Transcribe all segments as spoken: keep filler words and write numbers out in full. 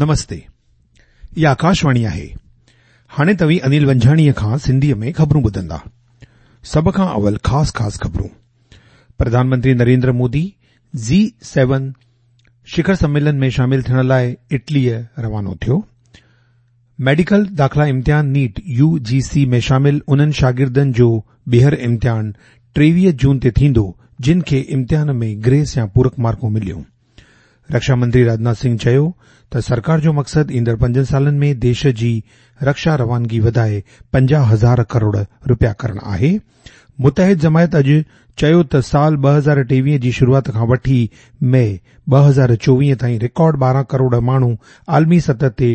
نمستي، اها آڪاشواڻي آهي. هاڻي توهين انيل ونجهاڻيء کان سنڌيء ۾ خبرون ٻڌندا. سڀ کان اول خاص خاص خبرون. پرڌان منتري نريندر مودي جي سيون شکر سميلن ۾ شامل ٿيڻ لاءِ اٽليء روانو ٿيو. ميڊيڪل داخلا امتحان نيٽ يو جي سي ۾ شامل انهن شاگردن جو ٻيهر امتحان ٽيويهه جون تي ٿيندو جن کي امتحان ۾ گريس يا پورڪ مارڪون مليون. رڪشا منتري راجناٿ سنگهه چيو ته سرڪار جو مقصد ايندڙ پنجن سالن ۾ ديش جي رڪشا روانگي وڌائي پنجاهه هزار ڪروڙ رپيا ڪرڻ آهي. متحد جماعت اڄ چيو ته سال ٻه هزار ٽيويهه جي شروعات کان وٺي مئي ٻه هزار چوويهه تائين رڪارڊ ٻارهن ڪروڙ ماڻهو عالمي سطح تي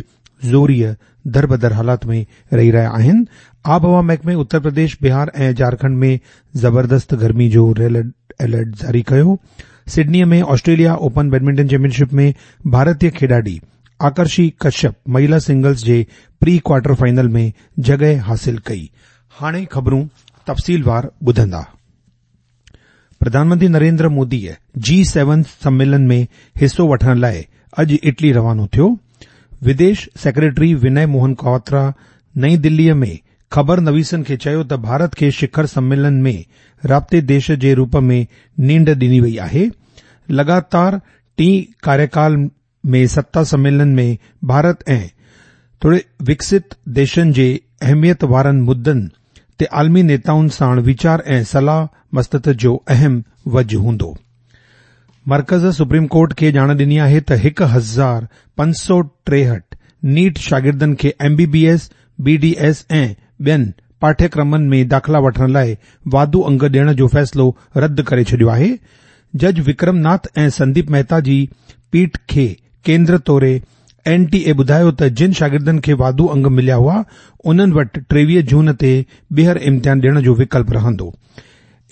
زوريء دربدر حالات ۾ رهي رهيا آهن. آبهوا محڪمي اتر پرديش، بهار ۽ جهارکنڊ ۾ زبردست گرمي جو ريڊ الرٽ جاري ڪيو. سڊنيء ۾ Australia open badminton champion ship ۾ ڀارتي کيڏاڙي آڪرشي ڪشيپ مهلا سنگلز جي پري ڪوارٽر فائنل ۾ جڳهه حاصل ڪئي. هاڻي خبرون تفصيلوار ٻڌندا. پرڌان منتري نريندر موديء جي سيون سميلن ۾ حصو وٺڻ لاءِ اڄ اٽلي روانو ٿيو. وديش سيڪريٽري وني موهن ڪواترا نئين دليء ۾ خبر نويسن کي چيو ته ڀارت کي شکر سميلن ۾ رابطي ديش جي روپ ۾ نينڍ ڏني وئي آهي. لڳاتار ٽئين ڪاريڪال ۾ ستا سميلن ۾ ڀارت ۽ ٿوري وڪست ديشن جي اهميت وارن مدن تي عالمي نيتائن ساڻ ويچار ۽ صلاح مصلحت جو اهم وجهه هوندو. مرڪز سپريم ڪورٽ کي ڄاڻ ڏني آهي ته هڪ هزار پنج سؤ ٽيهٺ نيٽ شاگردن کي M B B S, B D S ۽ ٻين پاٺيڪرمن ۾ داخلا وٺڻ لاءِ واڌو انگ ڏيڻ جو فيصلو رد ڪري ڇڏيو آهي. جج وڪرم ناٿ ۽ سنديپ مهتا جي پيٺ کي ڪيندر طور اين ٽي اي ٻڌايو ته جن شاگردن کي واڌو انگ مليا هئا انهن وٽ ٽيويهه جون تي ٻيهر امتحان ڏيڻ جو وڪلپ رهندو.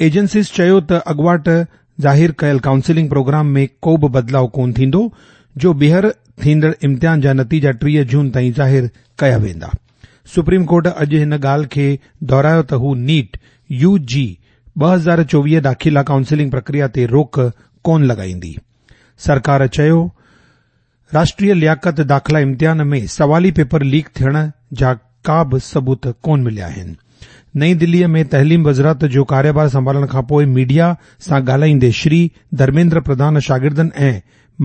ايجنسيز چيو ته اڳواٽ ظاهر ڪيل ڪائونسلنگ پروگرام ۾ ڪو به بدلاءُ ڪونه ٿيندو جو ٻيهر ٿيندڙ امتحان جا نتيجا ٽيهه جون تائين ظاهر ڪيا ويندا. سپريم ڪورٽ اڄ هن ڳالهه کي دهرايو ته هو نيٽ يو جي ٻه هزار چوويهه داخلا ڪائونسلنگ پرڪريا تي روڪ ڪونه لڳائيندي. سرڪار چيو راشٽريه لياقت داخلا امتحان ۾ سوالي پيپر ليڪ ٿيڻ جا ڪا به ثبوت ڪونه مليا آهن. نئين دليء ۾ تعليم وزارت جو ڪاريڀار سنڀالڻ کان پوءِ ميڊيا سان ڳالهائيندي شري ڌرميندر پرڌان شاگردن ۽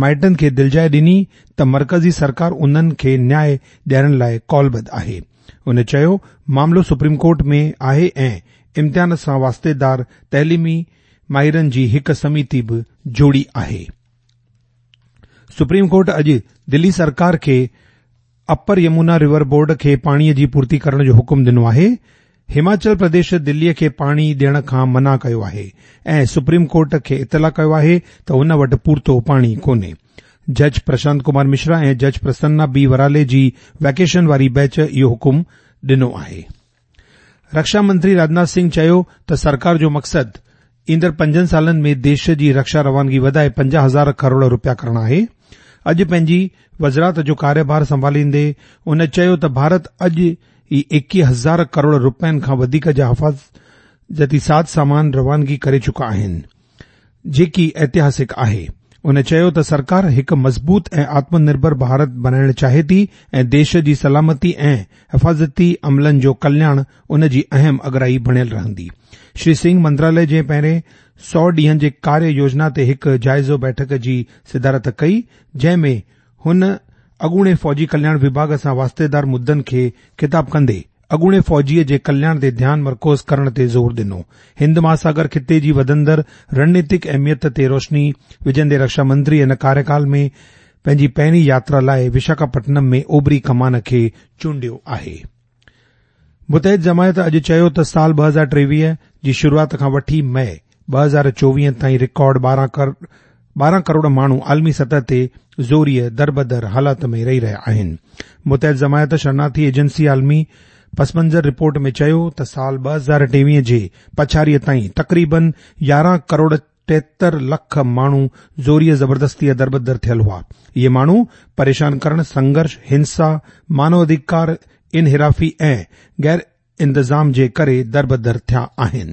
مائٽن کي دلجاءِ ڏني ته مرڪزي سرڪار انهن کي نياءُ ڏيارڻ لاءِ قولبڌ آهي. هن چيو معاملو سپريم ڪورٽ ۾ آهي ۽ امتحان سان واسطيدار تعليمي ماهرن جي هڪ سميتي به جوڙي آهي. سپريم ڪورٽ اڄ دلي سرڪار کي اپر يمنا ريور بورڊ کي پاڻيءَ جي پورتي ڪرڻ جو حڪم ڏنو آهي. هماچل پرديش دليءَ کي پاڻي ڏيڻ کان منع ڪيو آهي ۽ سپريم ڪورٽ کي اطلاع ڪيو آهي ته هن وٽ پورتو پاڻي ڪونهي. جج پرشانت ڪمار مشرا ۽ جج پرسنا بي ورالي جي ويڪيشن واري بينچ اهو حڪم ڏنو آهي. رڪشا منتري راجناٿ سنگهه چيو ته سرڪار جو مقصد ايندڙ پنجن سالن ۾ ديش جي رڪشا روانگي وڌائي پنجاهه هزار ڪروڙ رپيا ڪرڻ آهي. اڄ پنهنجي وزارت جو ڪاريڀار سنڀاليندي هن چيو ته ڀارت اڄ ئي ايڪويهه هزار ڪروڙ رپين کان وڌيڪ جا حفاظتي ساز سامان روانگي ڪري چڪا آهن، جيڪي اتهاسڪ آهي. هن چيو ته سرڪار هڪ مضبوط ۽ آتم نرڀر ڀارت بڻائڻ چاهي ٿي ۽ ديش جي سلامتي ۽ حفاظتي عملن جو ڪلياڻ ان جي اهم اڳرائي بڻيل رهندي. شري سنگهه منتراليه جي پهرين سؤ ڏينهن جي ڪاريه يوجنا تي هڪ جائزو بيٺڪ جي صدارت ڪئي، جنهن ۾ هن اڳوڻي فوجي ڪلياڻ وڀاڳ سان واسطيدار مدن کي خطاب ڪندي اڳوڻي فوجيءَ جي ڪلياڻ تي ڌيان مرڪوز ڪرڻ تي زور ڏنو. هند مهاساگر خطي جي وڌندڙ رڻنيتڪ اهميت تي روشني وجهندي رڪشا منتري هن ڪاريڪال ۾ پنهنجي پهرين ياترا لاءِ وشاکاپٽنم ۾ اوڀري ڪمان کي چونڊيو آهي. متحد جماعت اڄ چيو ته سال ٻه هزار ٽيويهه جي شروعات کان وٺي مئي ٻه هزار چوويهه تائين رڪارڊ ٻارهن ڪروڙ ماڻهو عالمي سطح تي زوريءَ دربدر حالات ۾ رهي رهيا آهن. متحد جماعت شرنارٿي ايجنسي عالمي پس منظر رپورٽ ۾ چيو ته سال ٻه هزار ٽيويهه جي پڇاڙيءَ تائين تقريبن يارهن ڪروڙ ٽيهتر لک ماڻهو زوريءَ زبردستيءَ دربدر ٿيل هئا. اهي ماڻهو پريشان ڪرڻ، سنگهرش، هنسا، مانو اڌڪار انحرافي ۽ غير انتظام جي ڪري دربدر ٿيا آهن.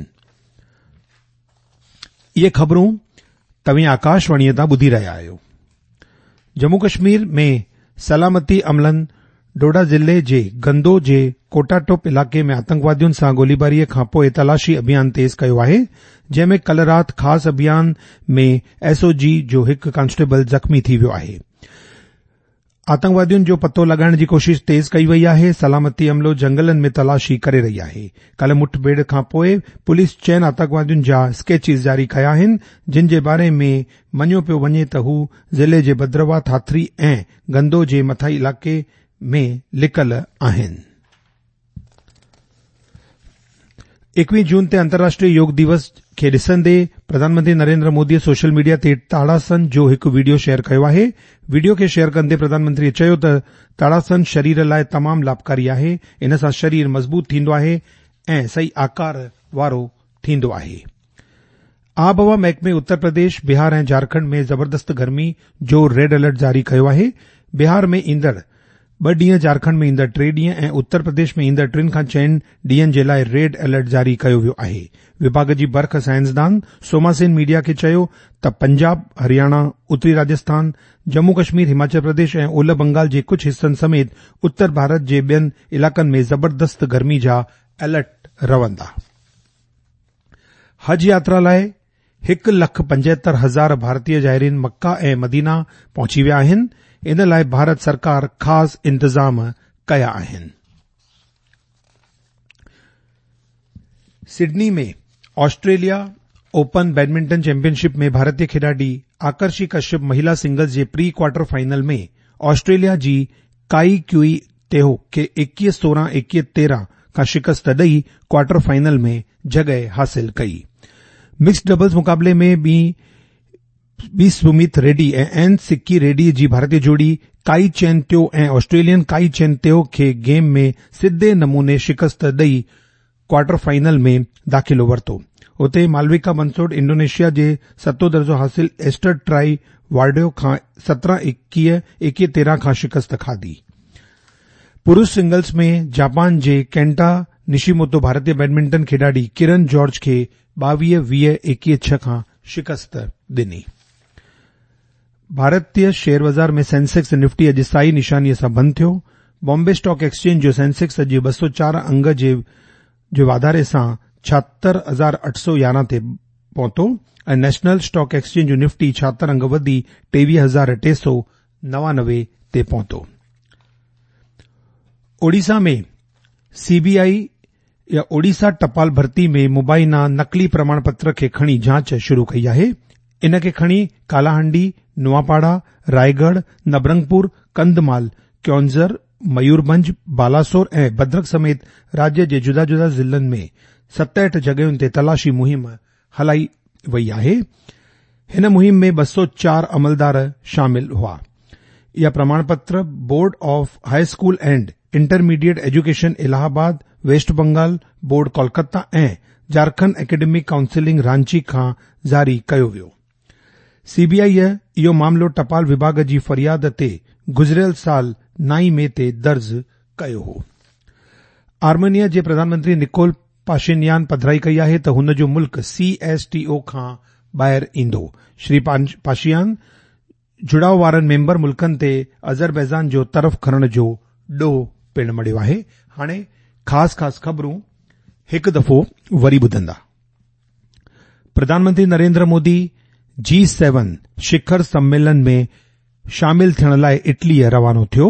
اهي خبرون توهين آڪاشواڻيءَ تان ٻڌي رهيا آهيو. ڄمون ڪشمير ۾ सलामती अमलनि डोडा ज़िले जे गंदो जे कोटाटोप इलाइक़े में आतंकवादियुनि सां गोलीबारीअ खां पोइ तलाशी अभियान तेज़ कयो आहे, जंहिं में कल्ह राति ख़ासि अभियान में एसओजी जो हिकु कांस्टेबल ज़ख़्मी थी वियो आहे। आतंकवादियुनि जो पतो लॻाइण जी कोशिश तेज़ कई वई आहे। सलामती अमलो जंगलनि में तलाशी करे रही आहे। कल्ह मुठभेड़ खां पोइ पुलिस चइनि आतंकवादियुनि जा स्केचिस जारी कया आहिनि, जिन जे बारे में मञियो पियो वञे त हू ज़िले जे भद्रवा, थाथरी ऐं गंदो जे मथाई इलाइक़े में लिकल आहिनि। एकवीह जून ते अंतर्राष्ट्रीय योग दिवस खे ॾिसंदे प्रधानमंत्री नरेंद्र मोदीअ सोशल मीडिया ते ताड़ासन जो हिकु वीडियो शेयर कयो आहे। वीडियो खे शेयर कंदे प्रधानमंत्रीअ चयो त ताड़ासन शरीर लाइ तमामु लाभकारी आहे, इन सां शरीर मज़बूत थींदो आहे ऐं सही आकार वारो थींदो आहे। आबहवा महकमे उत्तर प्रदेश, बिहार ऐं झारखंड में ज़बरदस्त गर्मी जो रेड अलर्ट जारी कयो आहे। बिहार में ईंदड़ ॿ ॾींहं, झारखंड में ईंदड़ टे ॾींहं ऐं उत्तर प्रदेश में ईंदड़ टिनि खां चइनि ॾींहंनि जे लाइ रेड अलर्ट जारी कयो वियो आहे। विभाग जी बर्ख साइंसदान सोमा सेन मीडिया खे चयो त पंजाब, हरियाणा, उत्तरी राजस्थान, जम्मू कश्मीर, हिमाचल प्रदेश ऐं ओलह बंगाल जे कुझु हिसनि समेत उत्तर भारत जे ॿियनि इलाइक़नि में ज़बरदस्त गर्मी जा अलर्ट रहंदा। हज यात्रा लाइ हिकु लख पंजहतरि हज़ार भारतीय ज़ाइरीन मक्का ऐं मदीना पहुची विया आहिनि। इन लाइ भारत सरकार ख़ासि इंतज़ाम कया आहिनि। Sydney में ऑस्ट्रेलिया ओपन बैडमिंटन चैंपियनशिप में भारतीय खिलाड़ी आकर्षी कश्यप महिला सिंगल्स जे प्री क्वार्टर फाइनल में ऑस्ट्रेलिया जी काई क्यूई तेहो खे एकवीह सोरहं एकवीह तेरहं खां शिकस्त ॾेई क्वार्टर फाइनल में जॻह हासिल कई। मिक्स डबल्स मुक़ाबले में बी बी सुमित रेड्डी ऐं एन सिक्की रेड्डी जी भारतीय जोड़ी काई चेन त्यो ऐं ऑस्ट्रेलियन काई चेन त्यो खे गेम में सिधे नमूने शिकस्त ॾेई क्वार्टर फाइनल में दाख़िलो वरितो। उते मालविका बंसोड इंडोनेशिया जे सतों दर्जो हासिल एस्टर ट्राई वार्डियो खां सत्रहं एकवीह एकवीह तेरहं खां शिकस्त खाधी। पुरुष सिंगल्स में जापान जे केंटा निशिमोतो भारतीय बैडमिंटन खिलाड़ी किरण जॉर्ज खे ॿावीह वीह एकवीह छह खां शिकस्त ॾिनी। भारतीय शेयर बाज़ार में सेंसेक्स निफ्टी अॼु साई निशानीअ सां बंदि थियो। बॉम्बे स्टॉक एक्सचेंज जो सेंसेक्स अॼु ॿ सौ चारि अंग जे जे वाधारे सां छाहतरि हज़ार अठ सौ यारहं ते पहुतो ऐं नेशनल स्टॉक एक्सचेंज जो निफ्टी छाहतरि अंग वधी टेवीह हज़ार टे सौ नवानवे ते पहुतो। ओडिशा में सीबीआई या ओडिशा टपाल भर्ती में मुबाइना नक़ली प्रमाण पत्र खे खणी जांच शुरू कई आहे। इन खे खणी कालाहांडी, नुआपाड़ा, रायगढ़, नबरंगपुर, कंधमाल, क्योंझर, मयूरभंज, बालासोर ऐं भद्रक समेत राज्य जे जुदा जुदा ज़िलनि में सतहठि जॻहियुनि ते तलाशी मुहिम हलाई वई आहे। हिन मुहिम में ॿ सौ चारि अमलदार शामिल हुआ। इहा प्रमाण पत्र board of high school and intermediate education Allahabad, west Bengal board Kolkata ऐं झारखंड एकेडमिक काउंसिलिंग रांची खां जारी कयो वियो। सीबीआई इहो मामलो टपाल विभाग जी फ़रियाद ते गुज़िरियल साल नाई मई ते दर्ज कयो हो। आर्मेनिया जे प्रधानमंत्री निकोल पाशिन्यान पधराई कई आहे त हुन जो मुल्क सीएसटीओ खां ॿाहिरि ईंदो। श्री पाशियान जुड़ाव वारनि मेंबर मुल्कनि ते अज़रबैजान जो तरफ़ खणण जो ॾोह पिणु मढ़ियो आहे। हाणे ख़ासि ख़ासि ख़बरूं हिकु दफ़ो वरी ॿुधंदा। प्रधानमंत्री नरेंद्र मोदी जी सेवन शिखर सम्मेलन में शामिल थियण लाइ इटलीअ रवानो थियो।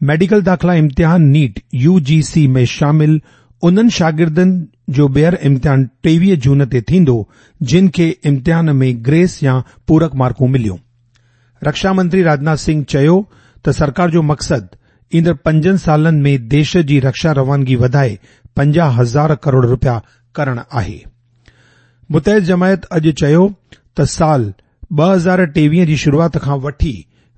मेडिकल दाख़िला इम्तिहान नीट यूजीसी में शामिल उन्हनि शागिर्दनि जो ॿीहर इम्तिहान टेवीह जून ते थींदो, जिन खे इम्तिहान में ग्रेस या पूरक मार्कूं मिलियूं। रक्षा मंत्री राजनाथ सिंह चयो त सरकार जो मक़सदु ईंदड़ पंजनि सालनि में देश जी रक्षा रवानगी वधाए पंजाह हज़ार करोड़ रुपया करण आहे। मुतहद जमायत अॼु चयो त साल ॿ हज़ार टेवीह जी शुरूआत खां वठी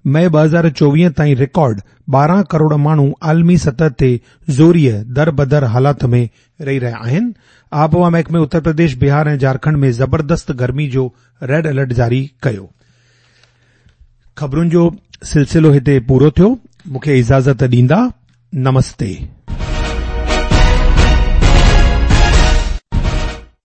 मई ॿ हज़ार चोवीह ताईं रिकॉर्ड ॿारहं करोड़ माण्हू आलमी सतह ते ज़ोरीअ दर-बदर हालात में रही रहिया आहिनि। आबहवा महकमे उत्तर प्रदेश, बिहार ऐं झारखंड में ज़बरदस्त गर्मी जो रेड अलर्ट जारी कयो। ख़बरुनि जो सिलसिलो हिते पूरो थियो। मूंखे इजाज़त ॾींदा। नमस्ते।